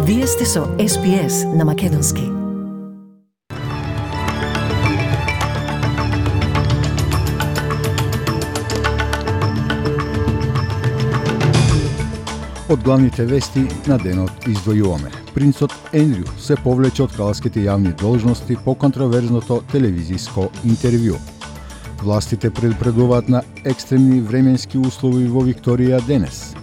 Вие сте со SPS на Македонски. Од главните вести на денот издвојуваме. Принцот Ендрю се повлече од кралските јавни должности по контроверзното телевизиско интервју. Властите предупредуваат на екстремни временски услови во Викторија денес.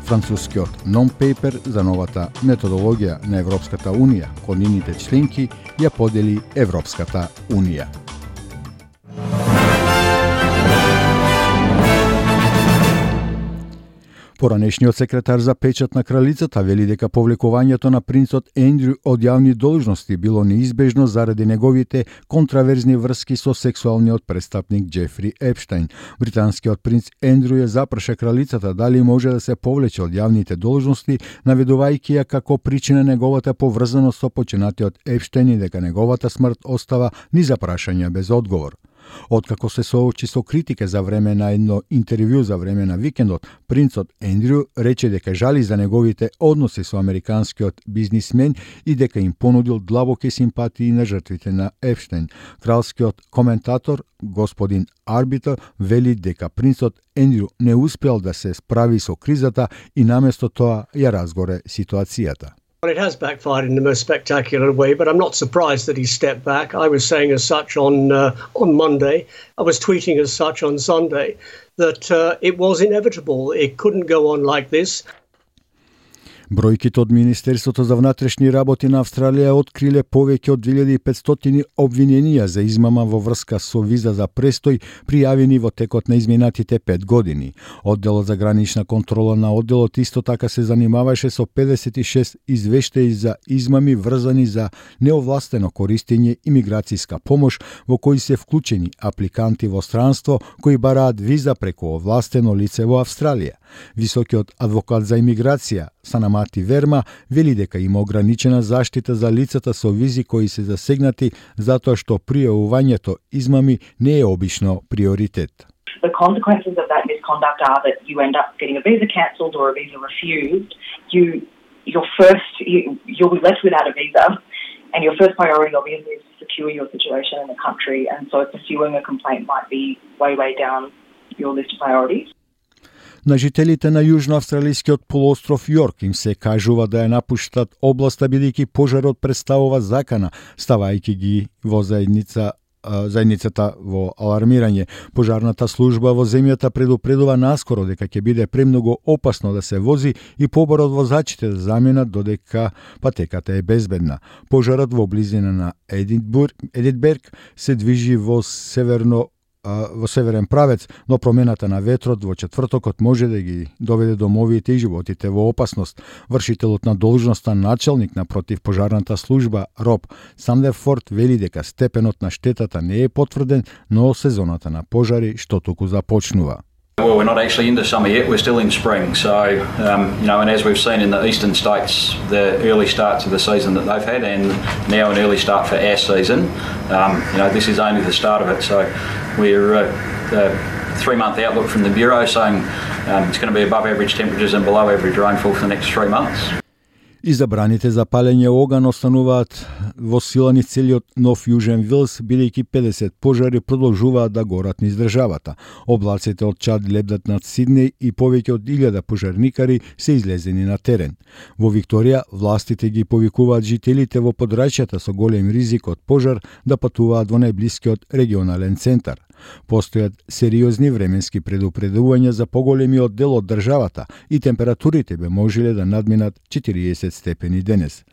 Францускиот нон-пейпер за новата методологија на Европската Унија кон нивните членки ја подели Европската Унија. Поранешниот секретар за печат на кралицата вели дека повлекувањето на принцот Ендрю од јавни должности било неизбежно заради неговите контраверзни врски со сексуалниот престапник Џефри Епштајн. Британскиот принц Ендрю ја запраша кралицата дали може да се повлече од јавните должности, наведувајќи ја како причина неговата поврзаност со починатиот Епштајн и дека неговата смрт остава низ запрашања без одговор. Откако се соочи со критика за време на едно интервју за време на викендот, принцот Ендрю рече дека жали за неговите односи со американскиот бизнисмен и дека им понудил длабоки симпатии на жртвите на Епштајн. Кралскиот коментатор, господин Арбитер, вели дека принцот Ендрю не успел да се справи со кризата и наместо тоа ја разгоре ситуацијата. Well, it has backfired in the most spectacular way, but I'm not surprised that he stepped back. I was saying as such on Monday. I was tweeting as such on Sunday that it was inevitable. It couldn't go on like this. Бројките од Министерството за внатрешни работи на Австралија откриле повеќе од 2500 обвиненија за измама во врска со виза за престој пријавени во текот на изминатите 5 години. Одделот за гранична контрола на одделот исто така се занимаваше со 56 извештаи за измами врзани за неовластено користење имиграцијска помош во кои се вклучени апликанти во странство кои бараат виза преку овластено лице во Австралија. Високиот адвокат за имиграција Санамати Верма вели дека има ограничена заштита за лицата со визи кои се засегнати затоа што пријавувањето измами не е обично приоритет. The consequences of that misconduct are that you end up getting a visa cancelled or a visa refused. You'll be left without a visa, and your first priority obviously is to secure your situation in the country, and so pursuing a complaint might be way down your list of priorities. На жителите на јужноавстралискиот полуостров Јорк им се кажува да ја напуштат областа бидејќи пожарот представува закана, ставајќи ги во заедницата во алармирање. Пожарната служба во земјата предупредува наскоро дека ќе биде премногу опасно да се вози и поборот возачите да заменат додека патеката е безбедна. Пожарот во близина на Единберг се движи во северен правец, но промената на ветрот во четвртокот може да ги доведе домовите и животите во опасност. Вршителот на должноста началник на противпожарната служба Роб Сандерфорд вели дека степенот на штетата не е потврден, но сезоната на пожари што току започнува. Well, we're not actually into summer yet, we're still in spring. So, and as we've seen in the eastern states, the early start to the season that they've had and now an early start for our season, this is only the start of it. So we're the 3-month outlook from the Bureau saying it's going to be above average temperatures and below average rainfall for the next 3 months. И забраните за палење оган остануваат во сила низ целиот Нов Јужен Вилс, бидејќи 50 пожари продолжуваат да горат низ државата. Облаците од Чад лебдат над Сиднеј и повеќе од 1000 пожарникари се излезени на терен. Во Викторија, властите ги повикуваат жителите во подрачјата со голем ризик од пожар да патуваат во најблискиот регионален центар. Постојат сериозни временски предупредувања за поголемиот дел од државата и температурите би можеле да надминат 40 степени денес.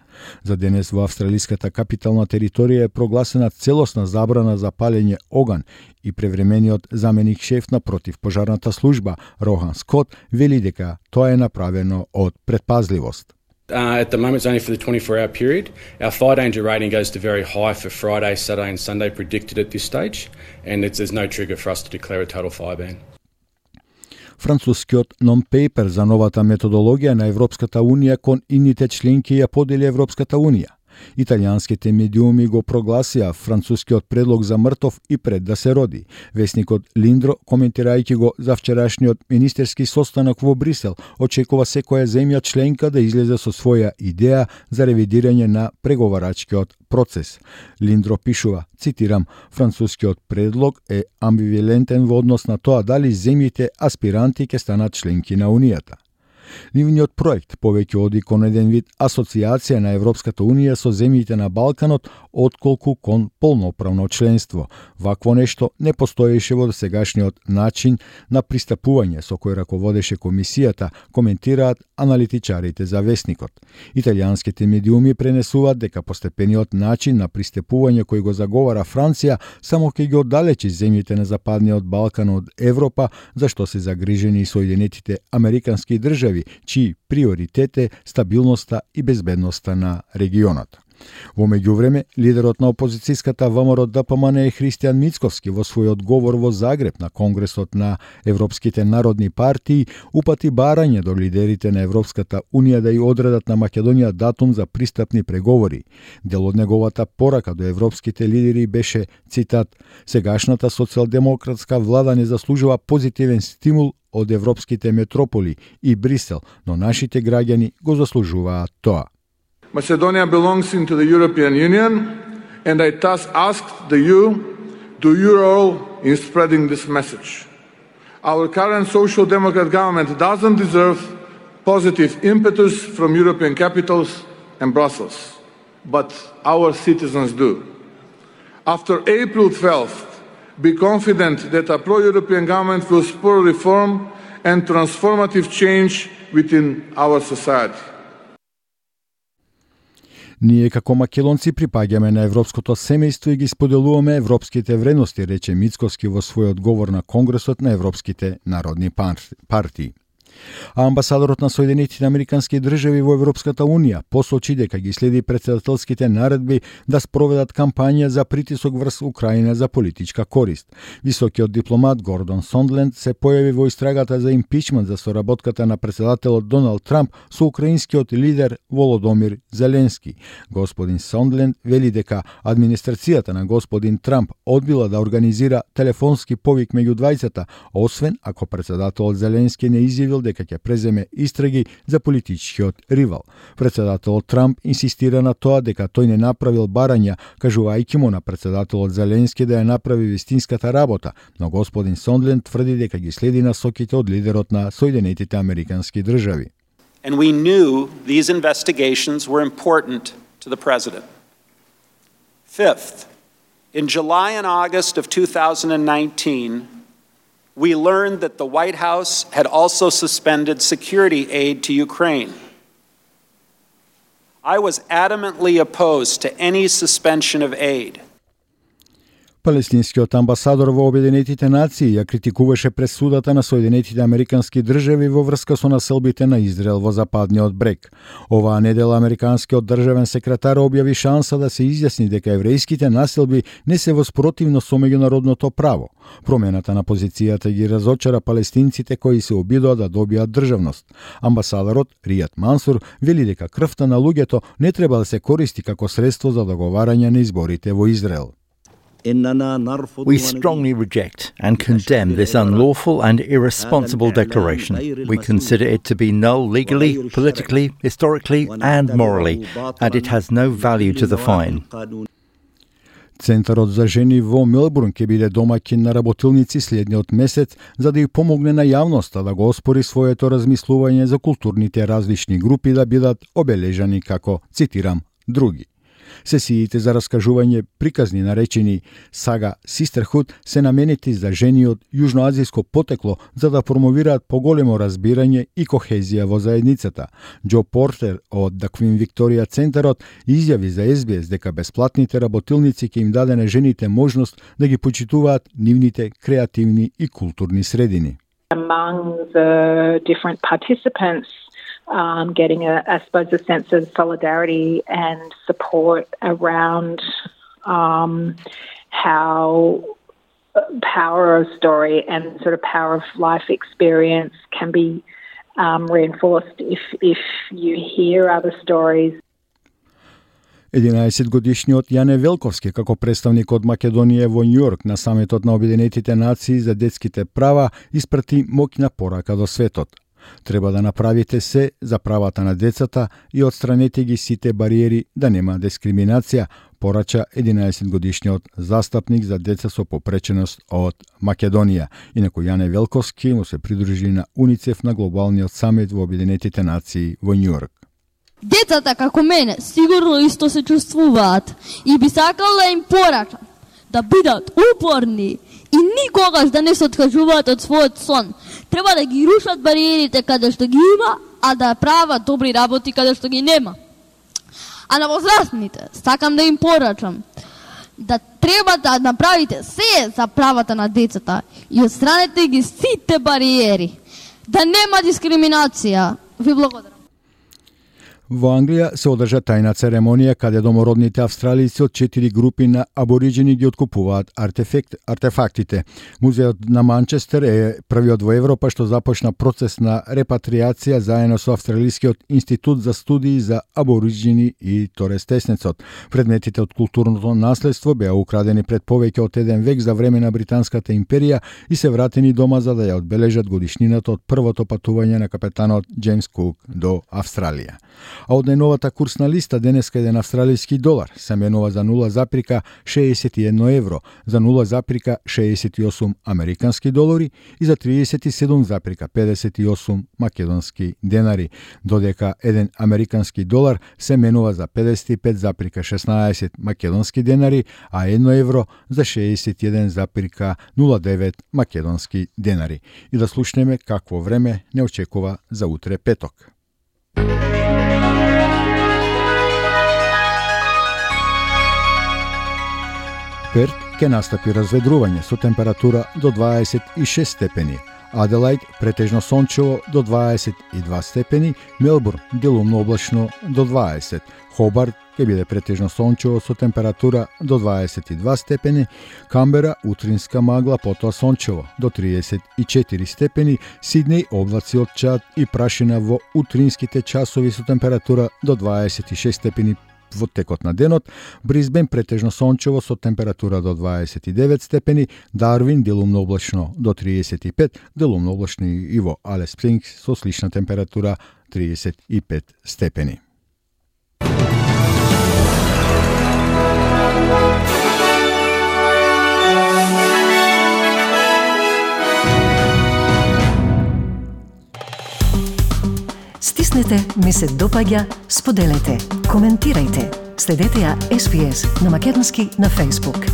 За денес во австралиската капитална територија е прогласена целосна забрана за палење оган и превремениот заменик шеф на противпожарната служба Рохан Скот вели дека тоа е направено од предпазливост. At the moment, it's only for the 24-hour period. Our fire danger rating goes to very high for Friday, Saturday and Sunday predicted at this stage, and there's no trigger for us to declare a total fire ban. Францускиот нон-пейпер за новата методологија на Европската Унија кон ините членки ја подели Европската Унија. Италијанските медиуми го прогласија францускиот предлог за мртов и пред да се роди. Весникот Линдро, коментирајќи го за вчерашниот министерски состанок во Брисел, очекува секоја земја членка да излезе со своја идеја за ревидирање на преговарачкиот процес. Линдро пишува, цитирам, францускиот предлог е амбивалентен во однос на тоа дали земјите аспиранти ќе станат членки на Унијата. Нивниот проект повеќе оди кон еден вид асоциација на Европската Унија со земјите на Балканот, отколку кон полноправно членство. Вакво нешто не постоеше во досегашниот начин на пристапување со кој раководеше комисијата, коментираат аналитичарите за Весникот. Италијанските медиуми пренесуваат дека постепениот начин на пристапување кој го заговара Франција само ќе ги оддалечи земјите на Западниот Балкан од Европа, зашто се загрижени Соединетите Американски држави, чии приоритет е стабилноста и безбедноста на регионот. Во меѓувреме, лидерот на опозицијската ВМРО ДПМН Христијан Мицковски во својот говор во Загреб на Конгресот на Европските народни партии упати барање до лидерите на Европската Унија да ја одредат на Македонија датум за пристапни преговори. Дел од неговата порака до европските лидери беше, цитат, сегашната социјалдемократска влада не заслужува позитивен стимул од европските метрополи и Брисел, но нашите граѓани го заслужуваат тоа. Macedonia belongs into the European Union, and I thus asked the EU, do your role in spreading this message. Our current Social Democrat government doesn't deserve positive impetus from European capitals and Brussels, but our citizens do. After April 12th, be confident that a pro-European government will spur reform and transformative change within our society. Ние како македонци припаѓаме на европското семејство и ги споделуваме европските вредности, рече Мицковски во својот говор на Конгресот на Европските народни партии. А амбасадорот на Соединетите Американски држави во Европската Унија посочи дека ги следи претседателските наредби да спроведат кампања за притисок врз Украина за политичка корист. Високиот дипломат Гордон Сондленд се појави во истрагата за импичмент за соработката на претседателот Доналд Трамп со украинскиот лидер Володомир Зеленски. Господин Сондленд вели дека администрацијата на господин Трамп одбила да организира телефонски повик меѓу двајцата, освен ако претседателот Зеленски не изјавил дека ќе преземе истраги за политичкиот ривал. Претседателот Трамп инсистира на тоа дека тој не направил барања, кажувајќи му на претседателот Зеленски да ја направи вистинската работа, но господин Сондленд тврди дека ги следи насоките од лидерот на Соединетите Американски држави. And we knew these investigations were important to the president. Fifth, in July and August of 2019, we learned that the White House had also suspended security aid to Ukraine. I was adamantly opposed to any suspension of aid. Палестинскиот амбасадор во Обединетите нации ја критикуваше пресудата на Соединетите Американски држави во врска со населбите на Израел во Западниот брег. Оваа недела американскиот државен секретар објави шанса да се изјасни дека еврејските населби не се во спротивност со меѓународното право. Промената на позицијата ги разочара палестинците кои се обидоа да добијат државност. Амбасадорот Ријад Мансур вели дека крвта на луѓето не треба да се користи како средство за договарање на изборите во Израел. We strongly reject and condemn this unlawful and irresponsible declaration. We consider it to be null legally, politically, historically and morally, and it has no value to the fine. Центарот за жени во Мелбурн ќе биде домаќин на работилници следниот месец за да ја помогне на јавноста да го оспори своето размислување за културните различни групи да бидат обележани како, цитирам, други. Сесиите за раскажување приказни наречени Сага Sisterhood се наменети за жени од јужноазијско потекло за да промовираат поголемо разбирање и кохезија во заедницата. Џо Портер од The Queen Victoria Центарот изјави за SBS дека бесплатните работилници ќе им даде на жените можност да ги почитуваат нивните креативни и културни средини. Among the different participants, getting I suppose, a sense of solidarity and support around how power of story and sort of power of life experience can be reinforced if you hear other stories. 11-годишниот Јане Велковски како представник од Македонија во Њујорк на самитот на Обединетите нации за детските права испрати моќна порака до светот. Треба да направите се за правата на децата и отстранете ги сите бариери да нема дискриминација, порача 11-годишниот застапник за деца со попреченост од Македонија. Инаку Јане Велковски му се придружи на УНИЦЕФ на глобалниот самит во Обединетите нации во Њујорк. Децата како мене сигурно исто се чувствуваат и би сакал да им порачам да бидат упорни и никогаш да не се откажуваат од својот сон. Треба да ги рушат бариерите каде што ги има, а да прават добри работи каде што ги нема. А на возрастните сакам да им порачам да треба да направите се за правата на децата и отстранете ги сите бариери. Да нема дискриминација. Ви благодарам. Во Англија се одржа тајна церемонија каде домородните австралици од 4 групи на абориджини ги откупуваат артефактите. Музеот на Манчестер е првиот во Европа што започна процес на репатриација заедно со Австралискиот институт за студии за абориджини и Торес Теснецот. Предметите од културното наследство беа украдени пред повеќе од 1 век за време на Британската империја и се вратени дома за да ја одбележат годишнината од првото патување на капетанот Джеймс Кук до Австралија. А од најновата курсна листа денеска еден австралиски долар се менува за 0,61 евро, за 0,68 американски долари и за 37,58 македонски денари, додека еден американски долар се менува за 55,16 македонски денари, а 1 евро за 61,09 македонски денари. И да слушнеме какво време не очекува за утре петок. Перт ќе настапи разведрување со температура до 26 степени. Аделајд претежно сончево до 22 степени, Мелбурн делумно облачно до 20. Хобарт ќе биде претежно сончево со температура до 22 степени, Камбера утринска магла потоа сончево до 34 степени, Сиднеј облаци од чад и прашина во утринските часови со температура до 26 степени во текот на денот, Брисбен претежно сончево со температура до 29 степени, Дарвин делумно облачно до 35, делумно облачно и во Алис Спрингс со слична температура 35 степени. Стиснете ми се допаѓа, споделете, коментирајте. Следете ја SPS на Македонски на Facebook.